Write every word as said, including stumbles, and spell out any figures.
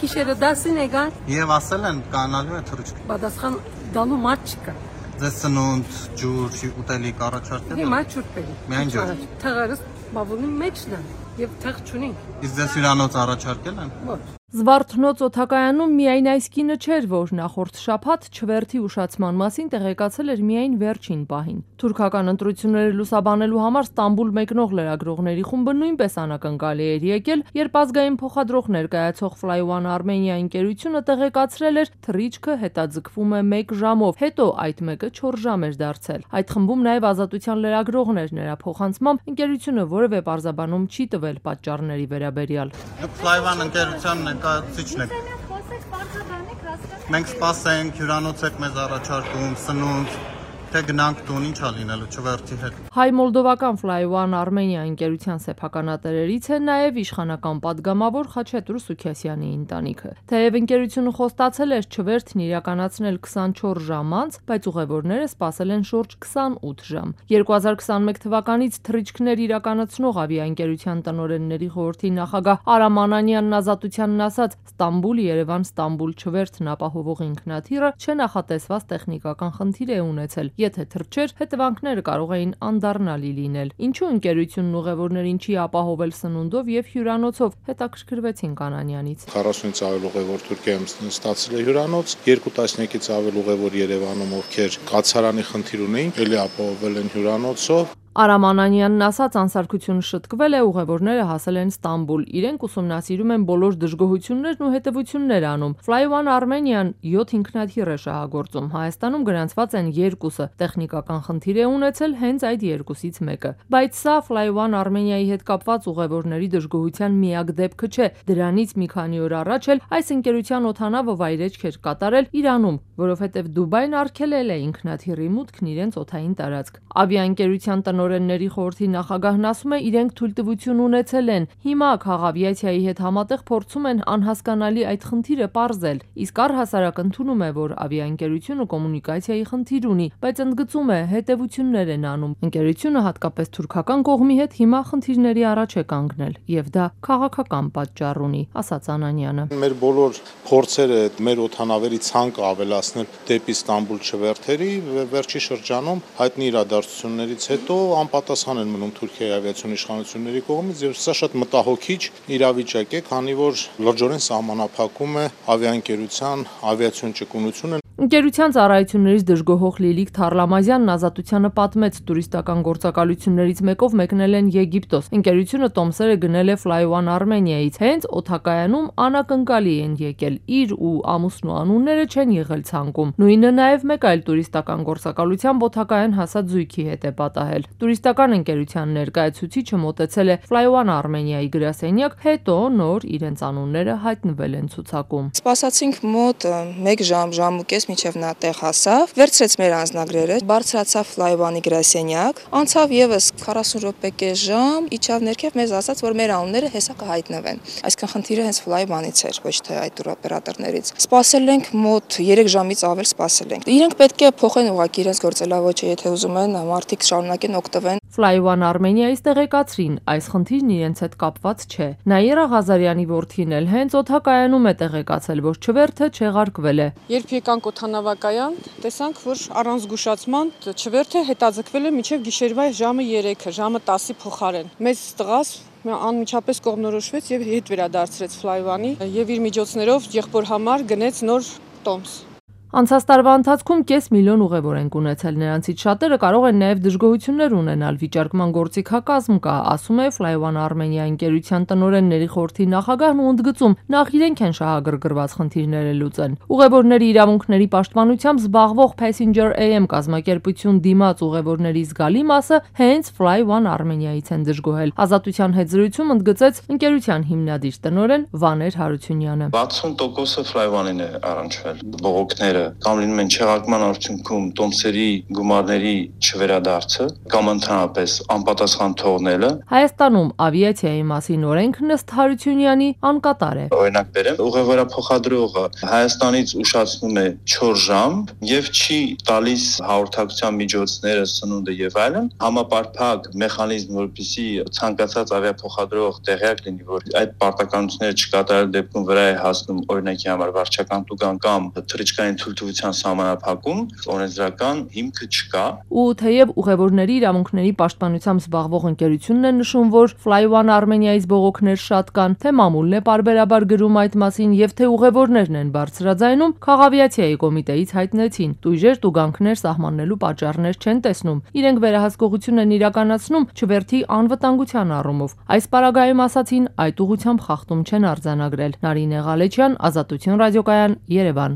Գիշերը դասին եկան։ Եվ ասել են կանալու է թռիչք։ Պատասխան դալու մարդ չկա։ Ձեզ սնունդ, ջուր, ուտելիք առաջարկել են։ Հիմա ջուր բերի։ Միայն ջուր։ Թղարս բավունի մեջն է եւ թղ չունի։ Իսկ ձեզ հյուրանոց առաջարկել են։ Ոչ։ Զվարթնոց օդակայանում միայն այս կինը չէր, որ նախորդ շաբաթ չվերթի ուշացման մասին տեղեկացել էր միայն վերջին պահին։ Թուրքական ընտրությունները լուսաբանելու համար Ստամբուլ մեկնող լրագրողների խումբը նույնպես անակնկալի էր եկել, երբ ազգային փոխադրող ներկայացող Fly One Armenia ընկերությունը տեղեկացրել էր թռիչքը հետաձգվում է մեկ ժամով, հետո այդ մեկը չորս ժամ էր դարձել։ Այդ խմբում նաև Ազատության լրագրողն էր, նրա փոխանցմամբ ընկերությունը որևէ պարզաբանում չի տվել պատճառների վերաբերյալ։ Դուք Fly One ընկերության ներկայացուցիչն եք։ Մենք սպասենք, հյուրանոց եք մեզ առաջարկում, սնունդ, թե գնանք տուն, ինչ ա լինելու չվերթի հետ։ Հայ մոլդովական Fly One Armenia ընկերության սեփականատերերից է նաև իշխանական падգամավոր Խաչատուր Սուքիասյանի ընտանիքը։ Թեև ընկերությունը խոստացել էր չվերթն իրականացնել քսանչորս ժամ անց, բայց ուղևորները սպասել են շուրջ քսանութ ժամ։ երկու հազար քսանմեկ թվականից թռիչքներ իրականացնող ավիաընկերության տնօրենների խորհրդի նախագահ Արամ Անանյանն Ազատությանն ասաց, Ստամբուլ-Երևան-Ստամբուլ չվերթն ապահովող ինքնաթիռը չնախատեսված տեխնիկական խնդիր է ունեցել։ Եթե թռչեր, հետևանքները կարող էին անդառնալի լինել։ Ինչու ընկերությունն ուղևորներին չի ապահովել սնունդով եւ հյուրանոցով, հետաքրքրվեցին Կանանյանից։ քառասունից ավել ուղևոր Թուրքիայում ստացել է հյուրանոց, երկու տասնյակից ավել ուղևոր Երևանում, ովքեր կացարանի խնդիր ունեին, ելի ապահովել են հյուրանոցով։ Արամ Անանյանն ասաց, անսարքությունը շտկվել է, ուղևորները հասել են Ստամբուլ։ Իրենք ուսումնասիրում են բոլոր դժգոհություններն ու հետևություններ անում։ Fly One Armenian յոթ ինքնաթիռ է շահագործում։ Հայաստանում գրանցված են երկուսը։ Տեխնիկական խնդիր է ունեցել հենց այդ երկուսից մեկը։ Բայց սա Fly One Armenia-ի հետ կապված ուղևորների դժգոհության միակ դեպքը չէ։ Դրանից մի քանի օր առաջ էլ այս ընկերության օդանավը վայրեջք էր կատարել Իրանում, որովհետև Դուբայն արգելել է ինքնաթիռի մուտքն իրենց օդային տարածք։ Ավիաընկերության տնօրենների խորհրդի նախագահն ասում է, իրենք թույլտվություն ունեցել են։ Հիմա քաղաքավիացիայի հետ համատեղ փորձում են անհասկանալի այդ խնդիրը պարզել։ Իսկ առհասարակ ընդունում է, որ ավիաընկերությունը կոմունիկացիայի խնդիր ունի, բայց ընդգծում է, հետևություններ են անում։ Ընկերությունը հատկապես թուրքական կողմի հետ հիմա խնդիրների առաջ է կանգնել, եւ դա քաղաքական պատճառ ունի, ասաց Անանյանը։ Մեր բոլոր փորձերը մեր օդանավերի ցանկը ավելացնել դեպի Ստամբուլ չվերթերի վերջի շրջանում հայտնի իրադարձություններից հետո անպատասխան են մնում Թուրքիայի ավիացիոն իշխանությունների կողմից եւ սա շատ մտահոգիչ իրավիճակ է, քանի որ լրջորեն սահմանափակում է ավիաընկերության ավիացիոն ճկունությունը։ Ընկերության ծառայություններից դժգոհող Լիլիք Թարլամազյանն Ազատությանը պատմեց, տուրիստական գործակալություններից մեկով մեկնել են Եգիպտոս։ Ընկերությունը տոմսերը գնել է Fly One Armenia-ից։ Հենց օդակայանում անակնկալի են եկել, իր ու ամուսնու անունները չեն եղել ցանկում։ Նույնը նաև մեկ այլ տուրիստական գործակալությամբ օդակայան հասած զույգի հետ է պատահել։ Տուրիստական ընկերության ներկայացուցիչը մոտեցել է Fly One Armenia-ի գրասենյակ, հետո նոր իրենց անունները հայտնվել են ցուցակում։ Սպասացինք մոտ մեկ ժամ, ժամ ու կես մինչև նա տեղ հասավ, վերցրեց մեր անձնագրերը, բարձրացավ Fly One-ի գրասենյակ, անցավ եւս քառասուն րոպե կես ժամ, իջավ ներքև, մեզ ասաց, որ մեր անունները հեսա կհայտնվեն։ Այսինքն խնդիրը հենց Fly One-ից էր, ոչ թե այդ տուրօպերատորներից։ Սպասել ենք մոտ երեք ժամից ավել սպասել ենք։ Իրենք պետք է փոխեն ուղղակի իրենց գործելավոճը, եթե ուզում են մարդիկ շարունակեն օգտվեն։ Fly One Armenia-ից տեղեկացրին, այս խնդիրն իրենց հետ կապված չէ։ Նաիրա Ղազարյանի որդին էլ հենց օդակայանում է տեղեկացել, որ չվերթը չեղարկվել է։ Երբ եկանք օդանավակայան, տեսանք, որ առանց զգուշացման չվերթը հետաձգվել է մինչև գիշերվա ժամը երեքը, ժամը տասի փոխարեն։ Մեծ տղաս անմիջապես կողմնորոշվեց եւ հետ վերադարձրեց Fly One-ի եւ իր միջոցներով եղբոր համար գնեց նոր տոմս։ Անցած տարվա ընթացքում կես միլիոն ուղևոր են ունեցել, նրանցից շատերը կարող են նաև դժգոհություններ ունենալ, վիճարկման գործիքակազմ կա, ասում է Fly One Armenia ընկերության տնօրենների խորհրդի նախագահն ու ընդգծում, նախ իրենք են շահագրգռված խնդիրները լուծեն։ Ուղևորների իրավունքների պաշտպանությամբ զբաղվող Passenger A M կազմակերպություն դիմաց ուղևորների զգալի մասը հենց Fly One Armenia-ից են դժգոհել։ Ազատության հետ զրույցում ընդգծեց ընկերության հիմնադիր տնօրեն Վաներ Հարությունյանը։ վաթսուն տոկոսը Fly One-ին է առնչվել, բողոքները կամ լինում են չեղարկման արդյունքում տոմսերի գումարների չվերադարձը կամ ընդհանրապես անպատասխան թողնելը։ Հայաստանում ավիացիայի մասին օրենքն ըստ Հարությունյանի անկատար է։ Օրինակ բերեմ, ուղևորափոխադրողը Հայաստանից ուշացնում է չորս ժամ եւ չի տալիս հաղորդակցության միջոցները, սնունդը եւ այլն, համապարփակ մեխանիզմ, որպեսզի ցանկացած ավիափոխադրող տեղյակ լինի, որ այդ պարտականությունները չկատարել դեպքում վրա է հասնում օրինակի համար վարչական տուգան կամ թռիչքային թույլտվության սահմանափակում, օրենսդրական հիմքը չկա։ Ու թեև ուղևորների իրավունքների պաշտպանությամբ զբաղվող ընկերությունն է նշում, որ Fly One Armenia-ից բողոքներ շատ կան, թե մամուլն է պարբերաբար գրում այդ մասին եւ թե ուղևորներն են բարձրաձայնում, Քաղավիացիայի կոմիտեից հայտնեցին, տույժեր տուգանքներ սահմանելու պատճառներ չեն տեսնում։ Իրենք վերահսկողություն են իրականացնում չվերթի անվտանգության առումով։ Այս պարագայում ասացին, այդ ուղղությամբ խախտում չեն արձանագրել։ Նարինե Ղալեչյան, Ազատություն ռադիոկայան, Երևան։